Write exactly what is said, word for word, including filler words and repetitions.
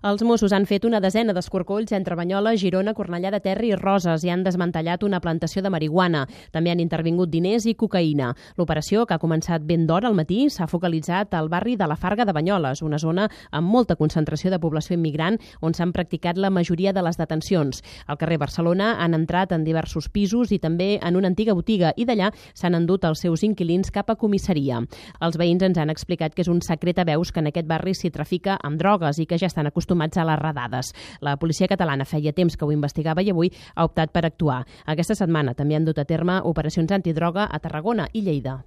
Els Mossos han fet una desena d'escorcolls entre Banyoles, Girona, Cornellà de Terri i Roses i han desmantellat una plantació de marihuana. També han intervingut diners i cocaïna. L'operació, que ha començat ben d'hora al matí, s'ha focalitzat al barri de la Farga de Banyoles, una zona amb molta concentració de població immigrant on s'han practicat la majoria de les detencions. Al carrer Barcelona han entrat en diversos pisos i també en una antiga botiga i d'allà s'han endut els seus inquilins cap a comissaria. Els veïns ens han explicat que és un secret a veus que en aquest barri s'hi trafica amb drogues i que ja estan acostumats a les redades. La policia catalana feia temps que ho investigava i avui ha optat per actuar. Aquesta setmana també han dut a terme operacions antidroga a Tarragona i Lleida.